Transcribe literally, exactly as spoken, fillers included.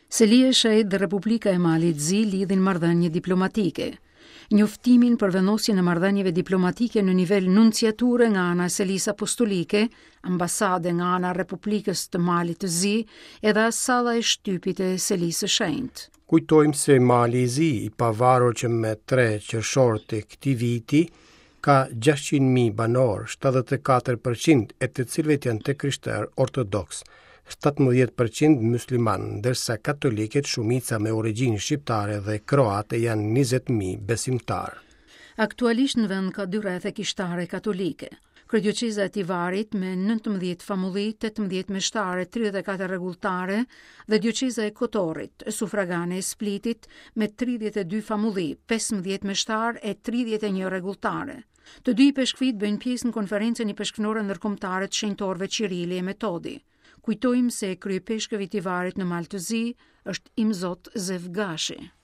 Selia e Shenjtë dhe Republika e Malit Zi lidhin marrëdhënie diplomatike. Njoftimin për vendosjen e marrëdhënieve diplomatike në nivel nunciature nga ana e Selisë Apostolike, ambasade nga ana e Republikës të Malit të Zi, edhe salla e shtypit e Selisë së Shenjtë. Kujtojmë se Mali i Zi, i pavarur që me tre qershor të këtij viti, ka gjashtëqind mijë banorë, shtatëdhjetë e katër përqind e të cilëve janë të krishterë ortodoks, shtatëmbëdhjetë përqind musliman, ndërsa katolikët, shumica me origjinë shqiptare dhe kroate, janë njëzet mijë besimtarë. Aktualisht në vend ka dy rrethe kishtare katolike. Kryedioqeza e Tivarit me nëntëmbëdhjetë famulli, tetëmbëdhjetë meshtare, tridhjetë e katër rregulltare dhe dioqeza e Kotorit, sufragane e Splitit me tridhjetë e dy famulli, pesëmbëdhjetë meshtar e tridhjetë e një rregulltare. Të dy ipeshkvit bëjnë pjesë në konferencën ipeshkvnore ndërkombëtare të shenjtorëve Qirili e Metodi. Kujtojmë se kryepeshkëvi i Tivarit në Mal të Zi është Imzot Zef Gashi.